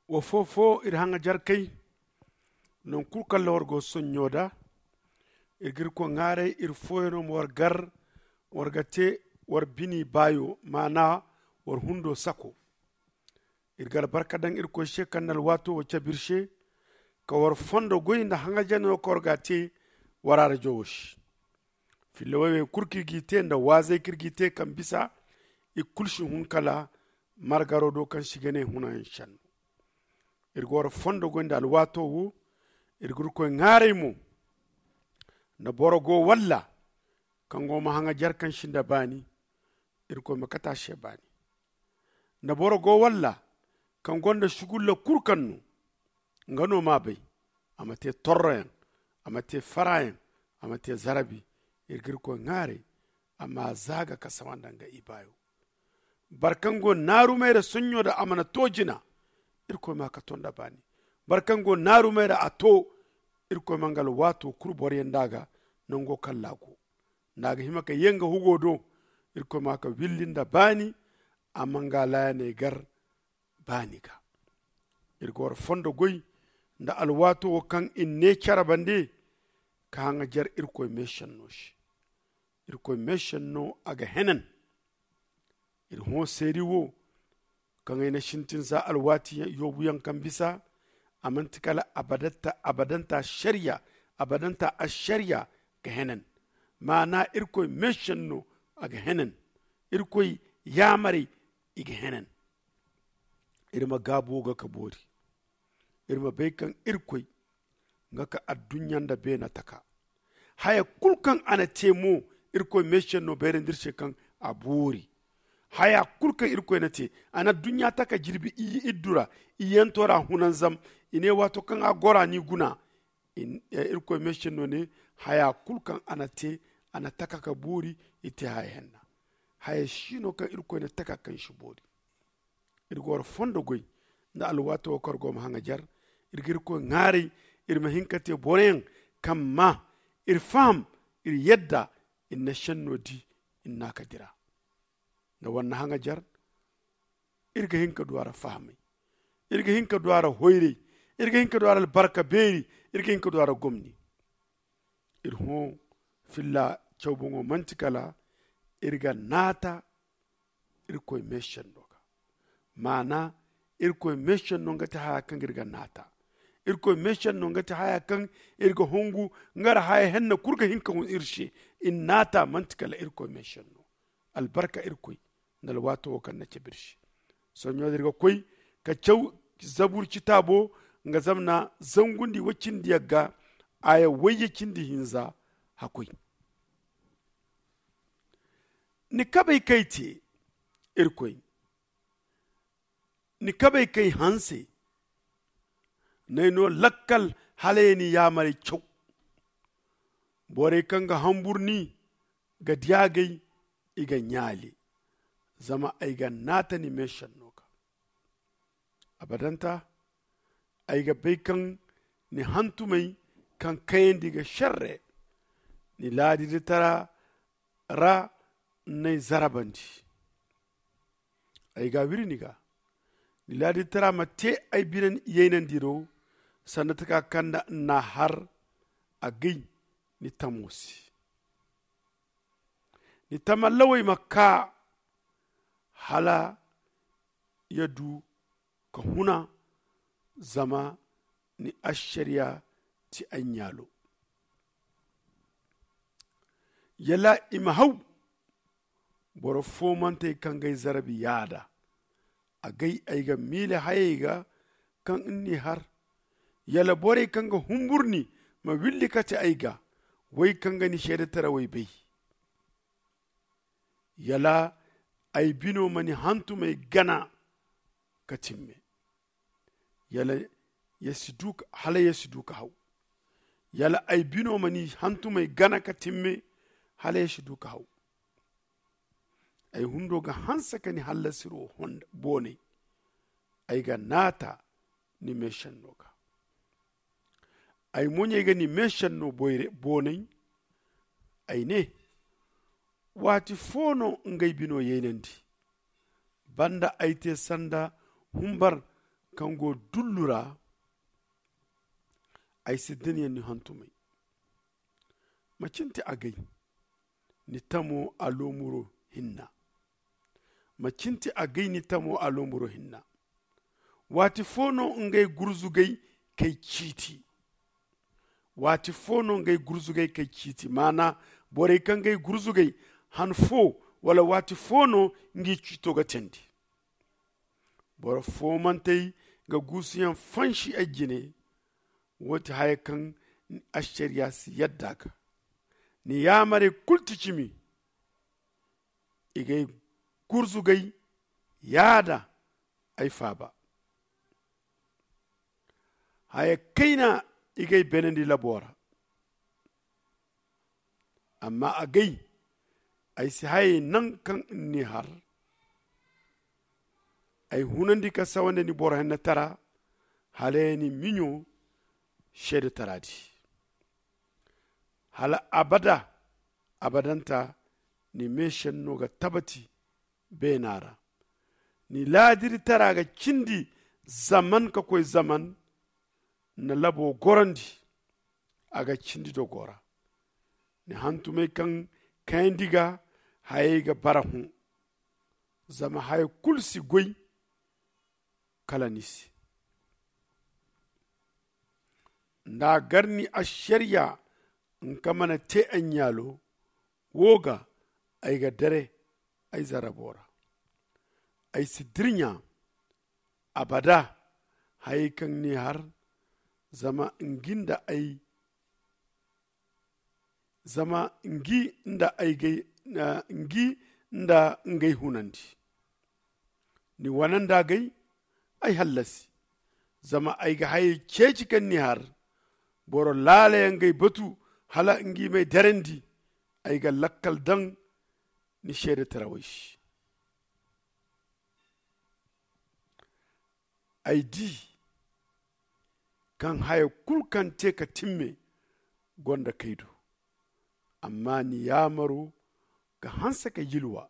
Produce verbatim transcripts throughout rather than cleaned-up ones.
Wa foo-foo iri haŋajarkey, naŋ kul kaŋ ra war go sonɲo da, iri ga irkoy ŋaaray iri fooyaŋo ma war gar, war ga te war bini baayo, maana war hundo sako. Iri ga albarka daŋ irkoy se kaŋ na alwaato wo cabe iri se, ka war fondo goy nda haŋajaryaŋo kaŋ war ga a te war arajo wo se. Filla woy wey kul kaŋ iri g'i te nda waazey kaŋ iri g'i te kaŋ bisa i kulu si hun kala margaro do kaŋ se i ga ne hunayaŋ senno. Iri ga war fondo goy nda alwaato wo. Iri ga irkoy ŋaaray mo, nda boro go walla kaŋ go ma haŋajar kaŋ sinda baani, irkoy ma kate a se baani. Nda boro go walla kaŋ gonda sugulla kul kaŋ no nga no m'a bay, a ma te torroyaŋ, a ma te faraayaŋ, a ma te zarabi. Iri ga irkoy ŋaaray a m'a zaaga ka sawanda nga ibaayo. Boro kaŋ go naarumey ra sonɲo da a mana to jina, irkoy m'a ka to nda baani. Boro kaŋ go naarumey ra a to, irkoy ma nga alwaato kulu boroyaŋ nd'a ga nango kaŋ ra a go, nda a ga hima ka ye nga hugo do, irkoy m'a ka willi nda baani. A ma nga laayaney gar baani ga. Iri ga war fondo goy nda alwaato wo kaŋ i ne care bande ka haŋajar irkoy meesenno se. Irkoy meesenno a ga henan. Iri hõ seeri wo kaŋ ay na sintin za alwaati yoobuyaŋ kaŋ bisa, a manti kala abadanta abadanta ašariya. Abadanta ašariya ga henan. Maana irkoy meesenno a ga henan. Irkoy yaamarey i ga henan. Iri ma gaabu wo ga ka boori. Iri ma bay kaŋ irkoy nga ka adduɲɲa nda beena taka. Haya kul kaŋ a na te mo, irkoy meesenno bayrandi iri se kaŋ a boori. Haya kul kaŋ irkoy na te, a na adduɲɲa taka jirbi iyye iddu ra. Iyyanto ra hunanzam. I ne waato kaŋ a goro a n'i guna. Irkoy meesenno ne, haya kul kaŋ a na te, a na taka ka boori. I te haya henna. Haya si no kaŋ irkoy na taka kaŋ si boori. Iri ga war fondo goy nda alwaato wo kaŋ war go ma haŋajar. Iri ga irkoy ŋaaray iri ma hin ka te boroyaŋ kaŋ ma iri faham, iri yadda, iri na senno di, iri n'a ka dira. Nda war na haŋajar, iri ga hin ka du a ra fahamay. Iri ga hin ka du a ra hoyray. Iri ga hin ka du a ra albarka beeri. Iri ga hin ka du a ra gomni. Iri hõ filla caw boŋo manti kala iri ga naata irkoy meesenno ga. Maana irkoy meesenno nga ti haya kaŋ iri ga naata. Irkoy meesenno nga ti haya kaŋ iri ga hongu nga ra haya henna kulu ga hin ka hun iri se. Iri naata manti kala irkoy meesenno. Albarka irkoy nda alwaato wo kaŋ na cabe iri se. Sohõ ɲo din iri ga koy ka caw zabur citaabo nga zamna zangundi woy cindi yagga aya woyye cindi hinza. Hakkoy ni kabey kay te irkoy ni kabey kay hanse. N'ay no lakkal hala ye ni yaamarey caw. Borey kaŋ ga hambur ni ga di a gay i ga ɲaali. Zama ay ga naata ni meesenno ga abadanta. Ay ga bay kaŋ ni hantumey kaŋ kayandi ga šerre. Ni laadiditara ra n'ay zarabandi. Ay ga wiri ni ga. Ni laadiditara ma te ay bine yaynandi do. Sanda taka kaŋ nda n'a har a gay ni tamo se. Ni tamallawey ma kaa hala ya du ka huna. Zama ni ašariya ti ay ɲaalo. Yala i ma haw boro foomantey kaŋ g'ay zarbi yaada. A gay ay ga miile hayey ga kaŋ ni n'i har. Yala borey kaŋ ga humbur ni ma willi kate ay ga, woy kaŋ ga ni seedetarawey bay. Yala ay bino ma ni hantumey gana ka timme. Yala ya si du ka haw. Yala ay bino ma ni hantumey gana ka timme hala ya si du ka haw. Ay hundo ga hanse ka ni hallasiro boonay. Ay ga naata ni meesenno ga. Ay moɲey ga ni meesenno boonay. Ay ne, waati fo no ngey bino yaynandi? Banda ay te sanda humbar kaŋ go dullu ra. Ay si din yaŋ ni hantumay. Macin ti a gay ni tamo a loomuro hinna. Macin ti a gay ni tamo a loomuro hinna. Waati fo no ngey gurzugay kay ciiti. Waati fo no ngey gurzugay kay ciiti maana borey kaŋ gay gurzugay han fo wala waati fo no ngi ciito ga teendi. Boro foomantey ga guusuyaŋ fansi ay jine. Wo ti haya kaŋ ni ašariya si yadda ga ni yaamarey kulu ti cimi. I gay gurzugay yaada ay faaba. Haya kayna i gay beenandi labo ra. Amma a gay ay si hayey naŋ kaŋ ni har. Ay hunandi ka sawande ni boro hennetara hala ya ni miɲo seedetara di. Hala abada abadanta ni meesenno ga tabati beena ra. Ni laadiritara ga cindi zaman ka koy zaman. Na labo gorandi a ga cindi dogo ra. Ni hantumey kaŋ kayandi ga hayey ga bara hõ. Zama haya kulu si goy kala ni se. Nda a gar ni ašariya nka mana te ay ɲaalo wo ga ay ga dere ay zarabo ra. Ay si dirɲa abada hayey kaŋ ni har. Zama ngi nda ay zama ngi nda ay gay ngi nda ngey hunandi. Ni wananda gay ay hallasi. Zama ay ga hayey ceeci kaŋ ni har. Boro laalayaŋ gay batu hala ngi may derandi. Ay ga lakkal daŋ ni seedetarawey se. Ay di kaŋ haya kulu kaŋ te ka timme gonda kay do. Amma ni yaamaro ga hanse ka yilwa.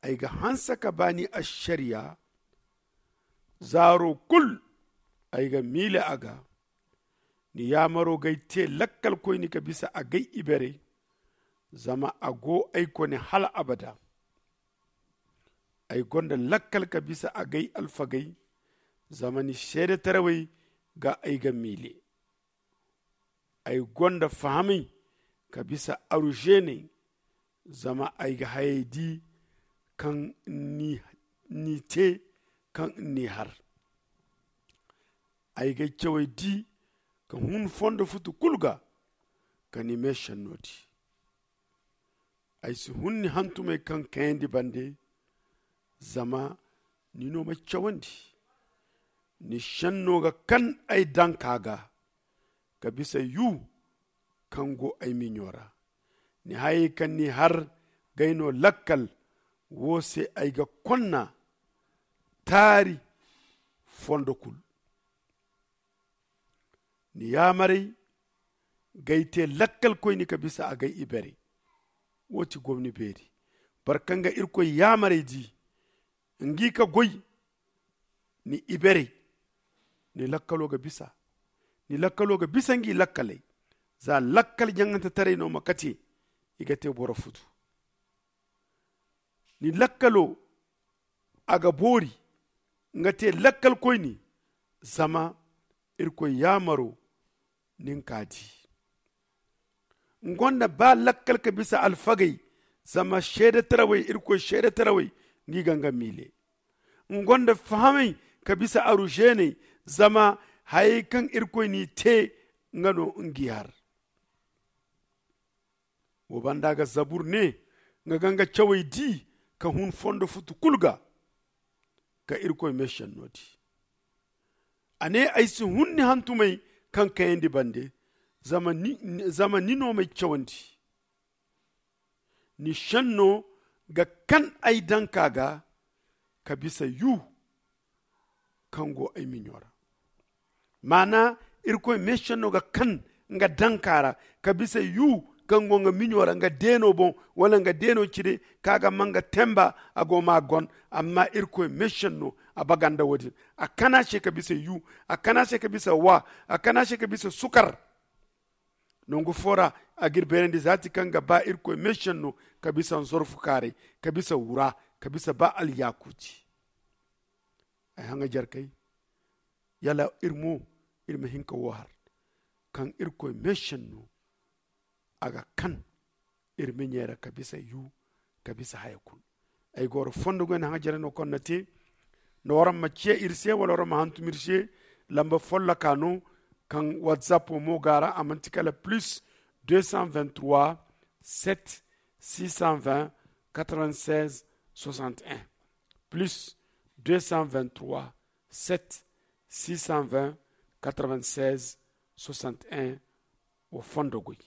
Ay ga hanse ka ba ni ašariya. Zaaro kulu ay ga miile a ga. Ni yaamaro g'ay te lakkalkoyne ka bisa agay iberey. Zama a go ay kone hala abada. Ay gonda lakkal ka bisa agay alfagey. Zama ni seedetarawey ga ay ga miile. Ay gonda fahamey ka bisa aružeeney. Zama ay ga hayey di kaŋ ni te kaŋ ni har. Ay g'ay cawey di ka hun fondo futu kulu ga ka ni meesenno di. Ay si hun ni hantumey kaŋ kayandi bande. Zama ni no m'ay cawandi. Ni senno ga kan ay danka ga ka bisa yu kaŋ go ay miɲo ra. Ni hayey kaŋ ni har g'ay no lakkal. Wo se ay ga konna taari fondo kulu. Ni yaamarey g'ay te lakkalkoyne ka bisa agay iberey. Wo ti gomni beeri. Boro kaŋ ga irkoy yaamarey di ngi ka goy ni iberey. Ni lakkalo ga bisa ni lakkalo ga bisa ngi lakkaley. Za lakkal jaŋantetaray no ma kate i ga te boro futu. Ni lakkalo a ga boori nga te lakkalkoyne. Zama irkoy yaamaro nin ka di. Nga gonda ba lakkal ka bisa alfagey. Zama seedetarawey irkoy seedetarawey ngi ga nga miile. Nga gonda fahamey ka bisa aružeeney. Zama hayey kaŋ irkoy n'i te nga no ngi har. Wo banda ga zabur ne nga ga nga cawey di ka hun fondo futu kulu ga ka irkoy meesenno di. A ne ay si hun ni hantumey kaŋ kayandi bande. Zama ni no m'ay cawandi. Ni senno ga kan ay danka ga ka bisa yu kaŋ go ay miɲo ra. Maana irkoy meesenno ga kan nga danka ra ka bisa yu kaŋ go nga miɲo ra nga deeno boŋ, wala nga deeno cire kaŋ a ga ma nga temba, a go ma a gon. Amma irkoy meesenno a baganda wo- din. A kana se ka bisa yu, a kana se ka bisa wa, a kana se ka bisa sukar. Nangu fo ra a ga iri beerandi zaati kaŋ ga ba irkoy meesenno ka bisa nzorfu kaaray, ka bisa wura, ka bisa ba alyakuuti. Ay haŋajerkey, yala iri mo iri ma hin ka wo har kaŋ irkoy meesenno a ga kan iri miɲey ra ka bisa yu, ka bisa haya kulu. Ay goro fondo goy na haŋajerey no kaŋ na te. No waraŋ ma ciya iri se wala waraŋ ma hantum iri se. Lamba folloka no kaŋ whatsapp mo ga ra a manti kala plus deux cent vingt-trois sept six cent vingt quatre-vingt-seize soixante et un, plus deux cent vingt-trois sept six cent vingt quatre-vingt-seize soixante et un. Wo fondo goy.